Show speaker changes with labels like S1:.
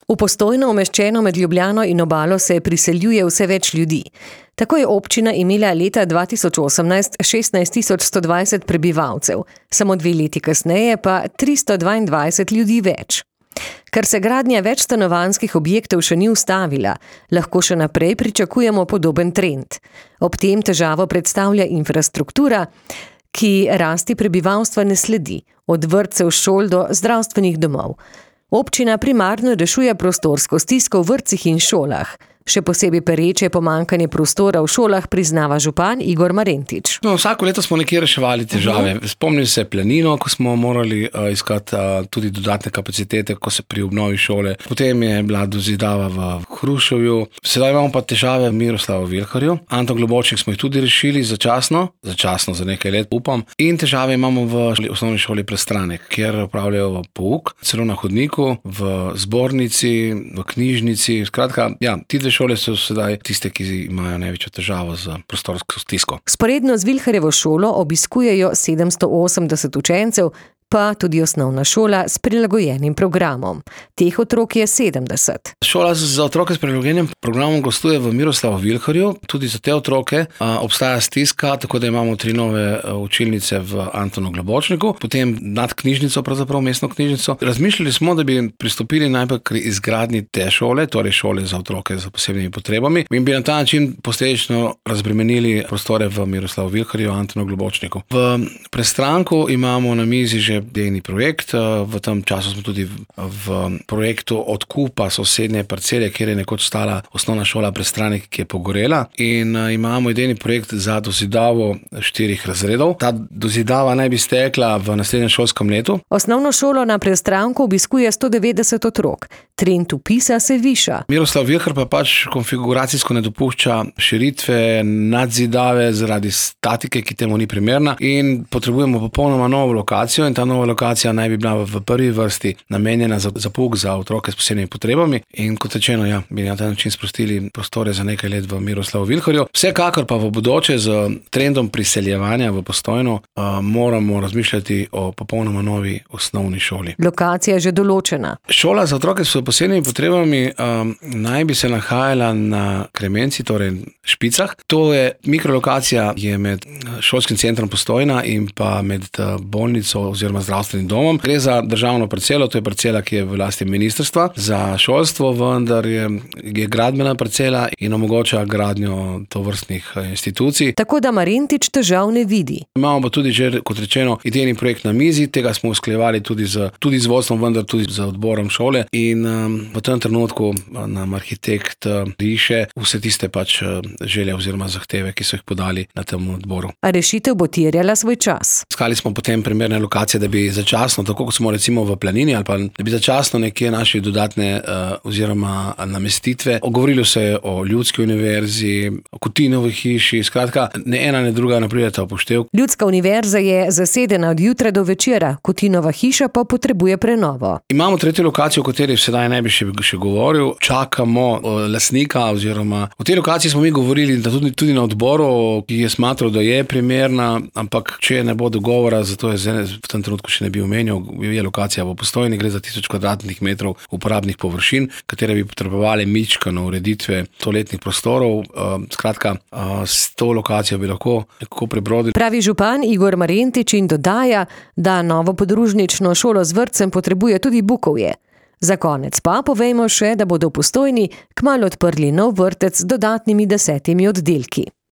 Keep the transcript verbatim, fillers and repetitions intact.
S1: V Postojno, umeščeno med Ljubljano in obalo, se priseljuje vse več ljudi. Tako je občina imela leta dva tisoč osemnajst šestnajst tisoč sto dvajset prebivalcev, samo dve leti kasneje pa tristo dvaindvajset ljudi več. Ker se gradnja več stanovanjskih objektov še ni ustavila, lahko še naprej pričakujemo podoben trend. Ob tem težavo predstavlja infrastruktura, ki rasti prebivalstva ne sledi, od vrtcev, šol do zdravstvenih domov. Občina primarno rešuje prostorsko stisko v vrtcih in šolah. Še posebej pereče pomanjkanje prostora v šolah priznava župan Igor Marentič.
S2: No, vsako leto smo nekje reševali težave. Uh-huh. Spomnim se Planino, ko smo morali uh, iskati uh, tudi dodatne kapacitete, ko se pri obnovi šole. Potem je bila dozidava v Hruševju. Sedaj imamo pa težave v Miroslavu Vilharju. Anton Globočnik smo jih tudi rešili začasno, začasno za nekaj let, upam. In težave imamo v osnovni šoli Prestranek, kjer upravljajo pouk, celo na hodniku, v zbornici, v knjižnici. Skratka, ja, ti dve šole so sedaj tiste, ki imajo največjo težavo z prostorsko stisko.
S1: Sporedno z Vilharjevo šolo obiskujejo sedemsto osemdeset učencev, pa tudi osnovna šola s prilagojenim programom. Teh otrok je sedemdeset.
S2: Šola za otroke s prilagojenim programom gostuje v Miroslavu Vilharju. Tudi za te otroke a, obstaja stiska, tako da imamo tri nove a, učilnice v Antonu Globočniku, potem nad knjižnico, pravzaprav mestno knjižnico. Razmišljali smo, da bi pristopili najprej k izgradnji te šole, torej šole za otroke z posebnimi potrebami, in bi na ta način posledično razbremenili prostore v Miroslavu Vilharju, Antonu Globočniku. V Prestranku imamo na mizi že idejni projekt. V tem času smo tudi v projektu odkupa sosednje parcele, kjer je nekoč stala osnovna šola Prestranek, ki je pogorela, in imamo idejni projekt za dozidavo štirih razredov. Ta dozidava naj bi stekla v naslednjem šolskem letu.
S1: Osnovno šolo na Prestranku obiskuje sto devetdeset otrok. Trend vpisa se viša.
S2: Miroslav Vilhar pa pač konfiguracijsko ne dopušča širitve, nadzidave zaradi statike, ki temu ni primerna, in potrebujemo popolnoma novo lokacijo, in ta nova lokacija naj bi bila v prvi vrsti namenjena za, za pouk za otroke s posebnimi potrebami, in kot rečeno, ja, bi na ta način sprostili prostore za nekaj let v Miroslavu Vilharju. Vsekakor pa v bodoče z trendom priseljevanja v Postojno uh, moramo razmišljati o popolnoma novi osnovni šoli.
S1: Lokacija je že določena.
S2: Šola za otroke s posebnimi potrebami um, naj bi se nahajala na Kremenci, torej Špicah. To je mikrolokacija, je med šolskim centrom Postojna in pa med bolnico oziroma zdravstvenim domom. Gre za državno parcelo, to je parcela, ki je v lasti ministrstva za šolstvo, vendar je, je gradbena parcela in omogoča gradnjo tovrstnih institucij.
S1: Tako da Marentič težav ne vidi.
S2: Imamo pa tudi že, kot rečeno, idejni projekt na mizi, tega smo usklajevali tudi z, tudi z vodstvom, vendar tudi z odborom šole, in um, v tem trenutku nam arhitekt uh, riše vse tiste pač uh, želje oziroma zahteve, ki so jih podali na tem odboru.
S1: A rešitev bo terjala svoj čas.
S2: Iskali smo potem primerne lokacije, da bi začasno, tako kot smo recimo v Planini, ali pa da bi začasno nekje našli dodatne uh, oziroma namestitve. Ogovorilo se je o Ljudski univerzi, o Kutinovi hiši, skratka, ne ena, ne druga ne prideta v poštev.
S1: Ljudska univerza je zasedena od jutra do večera, Kutinova hiša pa potrebuje prenovo.
S2: Imamo tretjo lokacijo, o kateri sedaj ne bi še, še govoril. Čakamo lastnika, oziroma o tej lokaciji smo mi govorili da tudi, tudi na odboru, ki je smatral, da je primerna, ampak če ne bo dogovora, zato je v tem trenutku še ne bi omenil, je lokacija v Postojni, gre za tisoč kvadratnih metrov uporabnih površin, katere bi potrebovali mičkano ureditve toaletnih prostorov. Skratka, s to lokacijo bi lahko nekako prebrodili.
S1: Pravi župan Igor Marentič in dodaja, da novo podružnično šolo z vrtcem potrebuje tudi Bukovje. Za konec pa povejmo še, da bodo v Postojni kmalu odprli nov vrtec z dodatnimi desetimi oddelki.